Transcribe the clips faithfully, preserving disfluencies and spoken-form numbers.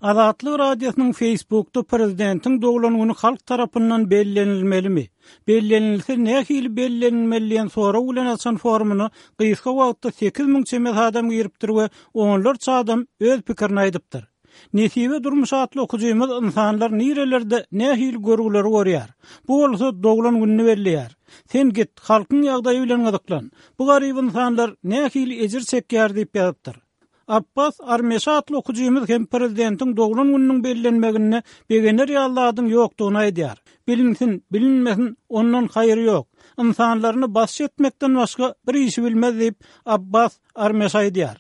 Azatlyk Radiosynyň Facebookda prezidentiň doglan güni halk tarapyndan bellenilmelimi? Bellenilse nähili bellenilmeli diýen sorag bilen açan forumyna gysga wagtda sekiz müň çemesi adam giripdir we onlarça adam öz pikirini aýdypdyr. Nesibe Durmuş atly okujymyz insanlar nirelerde nähili görgüleri görýär? Bu bolsa doglan gününi belleýär. Sen git, halkyň ýagdaýy bilen gyzyklan. Bu garyp insanlar nähili ejir çekýär diýip ýazypdyr. Abbas Armeş atly okujymyz hem prezidentiň doglan gününiň bellenmeginde begener ýaly ýokdugyny aýdýar. Bilinsin, bilinmesin, ondan haýyr ýok. Insanlaryny basyş etmekden başga bir işi bilmez diýip Abbas Armeş aýdýar.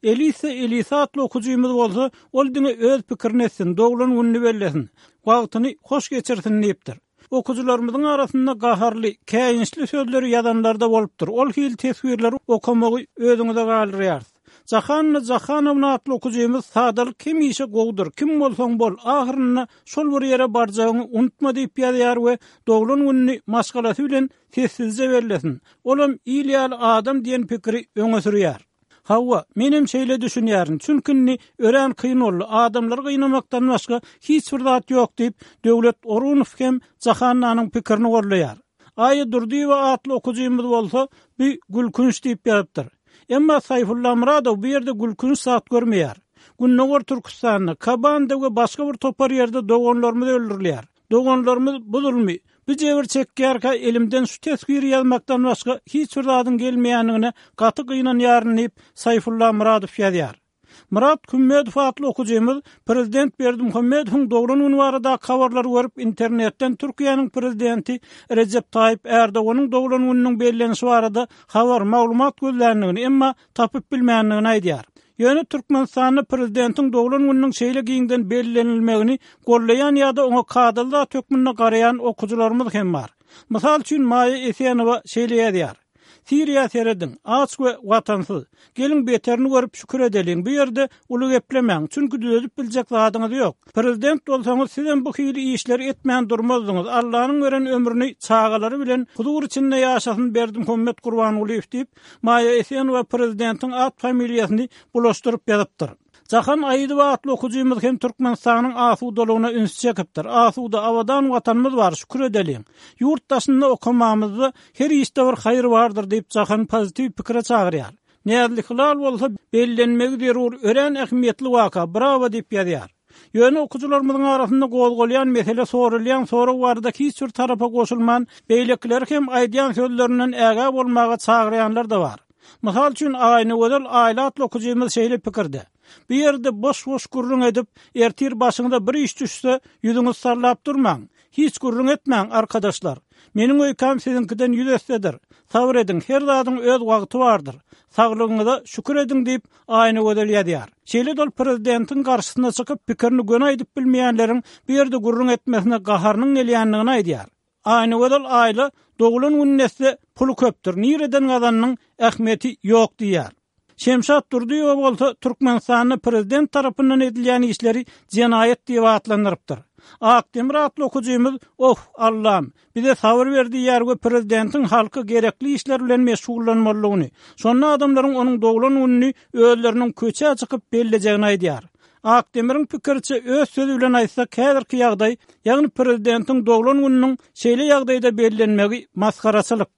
Elisa Elisa atly okujymyz bolsa, ol diňe öz pikirini etsin, doglan gününi bellesin, wagtyny hoş geçirsin diýipdir. Okujylarymyzyň arasynda gaharly, käýinçli sözleri ýazanlar da bolupdyr. Ol hil teswirleri okamagy özüňize galdyrýarys. Jahanna Jahanowna atly okujymyz sadalyk hemişe gowdur, kim bolsaň bol, ahyrynda şol bir ýere barjagyňy unutma diýip ýazýar we doglan gününi maşgalasy bilen sessizje bellesin. Olam il ýaly adam diýen pikiri öňe sürýär. Hawa, menem şeýle düşünýärin. Çünki indi örän kyn boldy. Adamlary gynamakdan başga hiç bir zat ýok diýip, Döwlet Orunow hem Jahannanyň pikirini gollaýar. Aýa Durdyýewa atly okujymyz bolsa, bu gülkünç diýip ýazypdyr. Emma Saýfulla Muradow bu ýerde gülkünç zat görmeýär. Gündogar Türkistanda, Kabanda we başga bir topar ýerde doganlarymyz öldürilýär. Doganlarymyz bu zulmy, bu jebir çekýärkä elimden şu teswiri ýazmakdan başga hiç bir zadyň gelmeýändigine gaty gynanýaryn diýip Saýfulla Muradow ýazýar. Murat Kümmedow atly okujymyz prezident Berdimuhamedowyň doglan güni barada habarlary görüp internetden Türkiýäniň prezidenti Recep Tayyip Erdoganyň doglan gününiň bellenişi barada habar maglumat gözländigini emma tapyp bilmändigini aýdýar. Ýöne Türkmenistanda prezidentiň doglan gününiň şeýle giňden bellenilmegini gollaýan ýa-da oňa kadaly zat hökmünde garaýan okujylarymyz hem bar. Mysal üçin Maýa Esenowa şeýle ýazýar. Siriýa serediň, aç we watansyz. Geliň beterini görüp şükür edeliň. Bu ýerde uly geplemäň, çünki düzedip biljek zadyňyz ýok. Prezident bolsaňyz sizem bu hili işleri etmän durmazdyňyz. Allanyň beren ömrüni çagalary bilen huzur içinde ýaşasyn Berdimuhamet Gurbangulyýew diýip, Maýa Esenowa prezidentiň at familiýasyny bulaşdyryp ýazypdyr. Jahan Aýydowa atly okujymyz hem Türkmenistanyň asudalygyna üns çekipdir. Asuda abadan watanymyz bar, şükür edeliň. Ýurt daşynda okamamyzda her işde bir haýyr bardyr diýip Jahan pozitiw pikire çagyrýar. Näzli Hilal bolsa bellenmegi zerur örän ähmiýetli waka, bravo diýip ýazýar. Ýöne okujylarymyzyň arasynda gozgalýan mesele sorulýan sorag barada hiç bir tarapa goşulman, beýlekiler hem aýdýan sözlerinden ägä bolmaga çagyrýanlar da bar. Mysal üçin Aýnagözel Aýla atly okujymyz şeýle pikirde. Bu ýerde boş-boş gürrüň edip, ertir başyňyza bir iş düşse, ýüzüňizi sallap durmaň. Hiç gürrüň etmäň arkadaşlar. Meniň öýkäm siziňkiden ýüz essedir. Sabr ediň, her zadyň öz wagty bardyr. Saglygyňyza şükür ediň diýip Aýnagözel ýazýar. Şeýle dol prezidentiň garşysyna çykyp pikirini göni aýdyp bilmeýänleriň bu ýerde gürrüň etmesine gaharynyň gelýändigini aýdýar. Aýnagözel Aýla doglan gününe etse puly köpdür. Nireden gazanyň ähmiýeti ýok diýýär. Şemşat Durdyýewa bolsa Türkmenistanda prezident tarapyndan edilýän işleri jenaýat diýip atlandyrypdyr. Akdemir atly okujymyz, "Oh, Allam, bize sabyr ber" diýýär we prezidentiň halky gerekli işler bilen meşgullanmalydygyny, şonda adamlaryň onuň doglan gününi özleriniň köçä çykyp bellejegini aýdýar. Akdemiriň pikiriçe öz sözi bilen aýtsak, häzirki ýagdaý, ýagny prezidentiň doglan gününiň şeýle ýagdaýda bellenmegi masgaraçylyk.